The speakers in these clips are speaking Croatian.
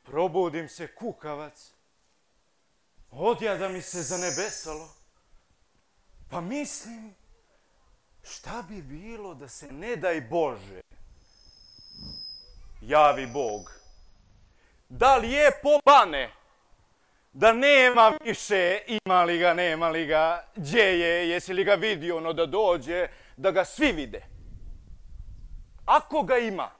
Probudim se kukavac. Odjada mi se zanebesalo. Pa mislim, šta bi bilo da se, ne daj Bože, javi Bog. Da li je pobane da nema više, ima li ga, nema li ga, gdje je, jesi li ga vidio, ono da dođe, da ga svi vide. Ako ga ima,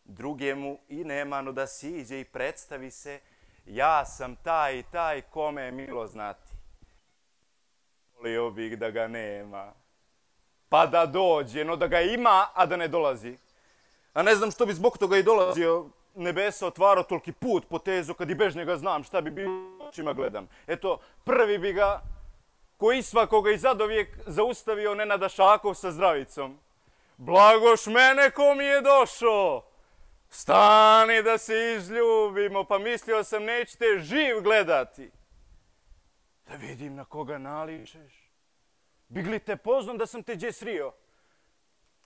drugemu i nema, no da siđe i predstavi se, ja sam taj i taj kome je milo znati. Volio bih da ga nema, pa da dođe, no da ga ima, a da ne dolazi. A ne znam što bi zbog toga i dolazio, nebesa otvarao toliki put po tezu, kad i bez njega znam šta bi bilo, očima gledam. Eto, prvi bi ga, koji svakoga i zadovijek, zaustavio Nenada Šakov sa zdravicom. Blagoš mene ko mi je došao, stani da se izljubimo, pa mislio sam nećete živ gledati. Da vidim na koga naličeš. Bih li te poznam da sam te gdje srio?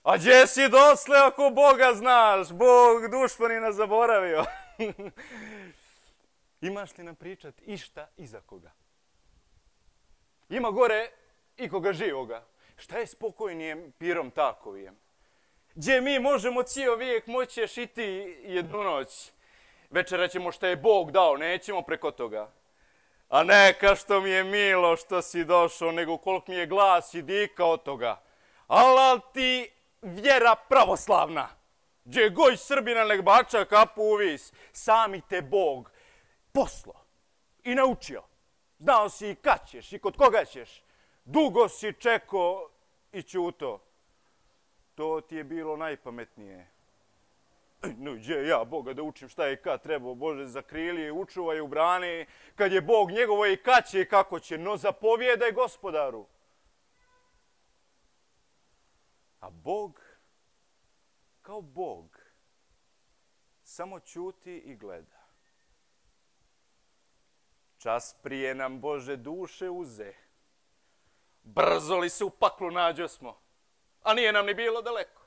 A gdje si dosle ako Boga znaš? Bog dušmanina zaboravio. Imaš li nam pričat išta iza koga? Ima gore ikoga živoga. Šta je spokojnijem pirom takovijem? Gdje mi možemo cijel vijek moći šiti jednu noć. Večera ćemo šta je Bog dao, nećemo preko toga. A neka što mi je milo što si došao, nego koliko mi je glas i dika od toga. Ala ti vjera pravoslavna. Gdje goj Srbina nek bača kapu u vis, sami te Bog poslo i naučio. Znao si i kad ćeš i kod koga ćeš. Dugo si čekao i ćuto. To ti je bilo najpametnije. No, gdje ja Boga da učim šta je i kad trebao, Bože, zakrili i učuvaj u brani, kad je Bog njegovo i kad će i kako će, no zapovjedaj Gospodaru. A Bog, kao Bog, samo ćuti i gleda. Čas prije nam, Bože, duše uze. Brzo li se u paklu nađosmo, a nije nam ni bilo daleko.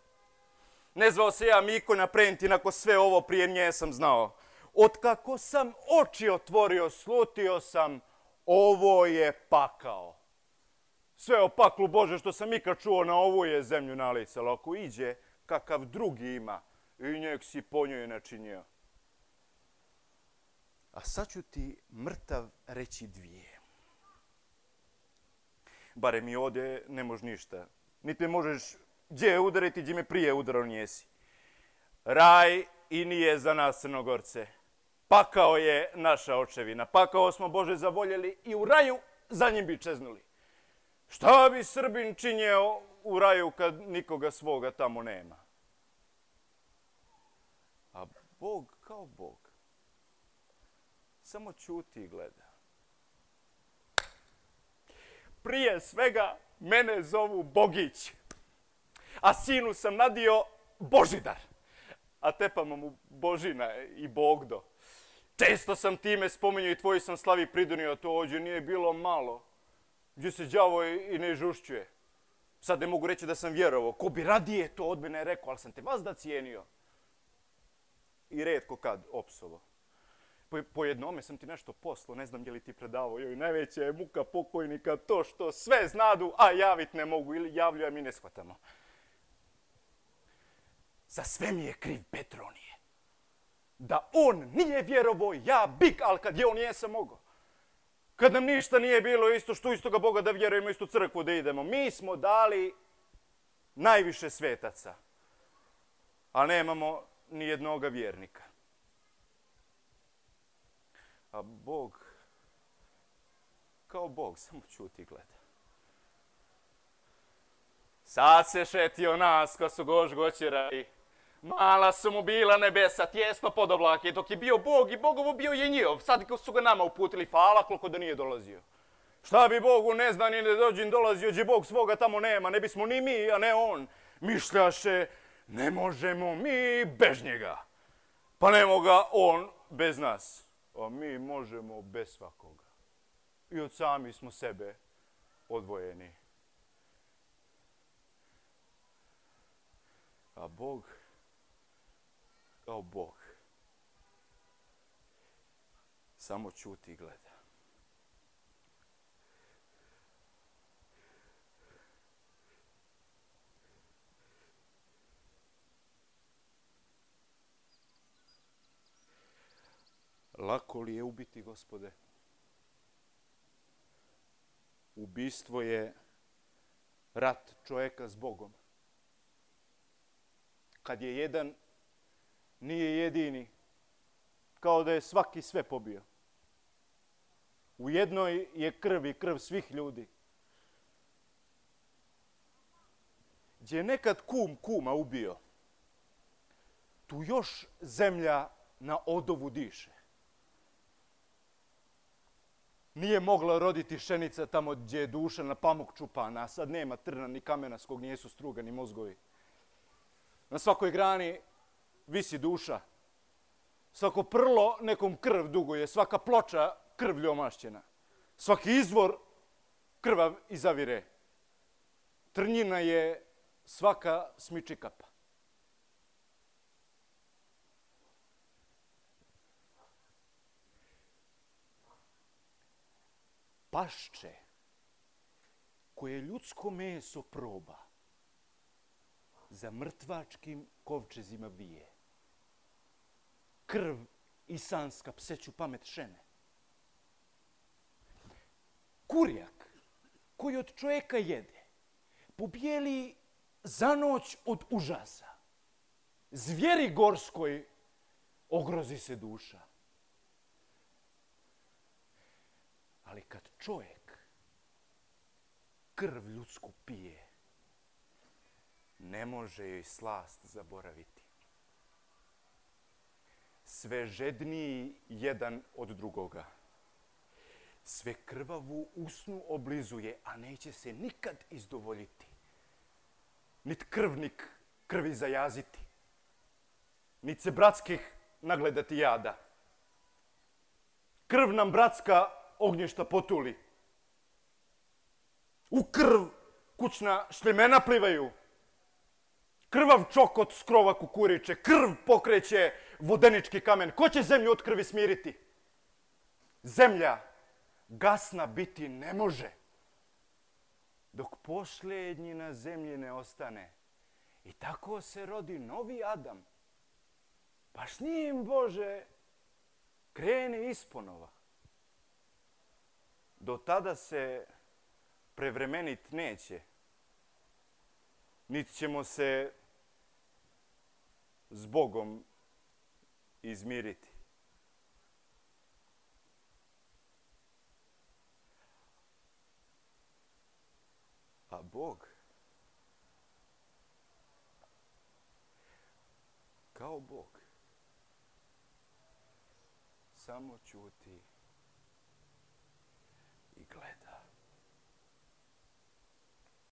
Ne zvao se ja Miko na Prentin, ako sve ovo prije nje sam znao. Otkako sam oči otvorio, slutio sam, ovo je pakao. Sve o paklu, Bože, što sam ikad čuo, na ovu je zemlju nalicalo. Ako iđe, kakav drugi ima, i njeg si po njoj načinio. A sad ću ti mrtav reći dvije. Barem i ovdje ne možeš ništa. Niti možeš gdje udariti, gdje me prije udarao njesi. Raj i nije za nas Crnogorce. Pakao je naša očevina. Pakao smo, Bože, zavoljeli i u raju za njim bi čeznuli. Šta bi Srbin činio u raju kad nikoga svoga tamo nema? A Bog kao Bog samo ćuti i gleda. Prije svega mene zovu Bogić, a sinu sam nadio Božidar, a tepamo mu Božina i Bogdo. Često sam time spominjao i tvoji sam slavi pridonio, to ođe nije bilo malo, gdje se đavo i ne žušćuje. Sad ne mogu reći da sam vjerovao, ko bi radije to od mene rekao, ali sam te vazda cijenio. I retko kad opsovo. Po jednome sam ti nešto poslao, ne znam je li ti predavao, joj, najveća je muka pokojnika to što sve znadu, a javit ne mogu ili javlju, a mi ne shvatamo. Za sve mi je kriv Petronije. Da on nije vjerovao, ja bik, ali kad je on jesam mogao. Kad nam ništa nije bilo isto što istoga Boga da vjerujemo, istu crkvu da idemo. Mi smo dali najviše svetaca, a nemamo ni jednoga vjernika. A Bog, kao Bog, samo ćuti i gleda. Sad se šetio nas ko su goćerali. Mala su mu bila nebesa, tjesno pod oblake, dok je bio Bog i Bogovo bio je njihov. Sad su ga nama uputili, hvala koliko da nije dolazio. Šta bi Bogu ne zna ni ne dođi dolazio, gdje Bog svoga tamo nema, ne bismo ni mi, a ne on. Mišljaše, ne možemo mi bez njega. Pa ne moga on bez nas, a mi možemo bez svakoga. I od sami smo sebe odvojeni. A Bog kao Bog. Samo ćuti i gleda. Lako li je ubiti, Gospode? Ubistvo je rat čovjeka s Bogom. Kad je jedan, nije jedini. Kao da je svaki sve pobio. U jednoj je krv i krv svih ljudi. Gdje je nekad kum kuma ubio, tu još zemlja na odovu diše. Nije mogla roditi šenica tamo gdje je duša na pamuk čupana, a sad nema trna ni kamena s kog nijesu strugani mozgovi. Na svakoj grani visi duša. Svako prlo nekom krv duguje, svaka ploča krvlju omašćena. Svaki izvor krvav izavire. Trnjina je svaka smičikapa. Pašče koje ljudsko meso proba, za mrtvačkim kovčezima vije. Krv isanska pseću pamet šene. Kurjak koji od čovjeka jede, pobijeli za noć od užasa. Zvijeri gorskoj ogrozi se duša. Ali kad čovjek krv ljudsku pije, ne može joj slast zaboraviti. Sve žedniji jedan od drugoga. Sve krvavu usnu oblizuje, a neće se nikad izdovoljiti. Nit krvnik krvi zajaziti. Nit se bratskih nagledati jada. Krv nam bratska ognjišta potuli. U krv kućna šljemena plivaju. Krvav čokot s krova kukuriće, krv pokreće vodenički kamen. Ko će zemlju od krvi smiriti? Zemlja gasna biti ne može. Dok posljednji na zemlji ne ostane. I tako se rodi novi Adam. Pa s njim, Bože, kreni isponova. Do tada se prevremenit neće. Niti ćemo se s Bogom izmiriti. A Bog kao Bog samo ćuti i gleda.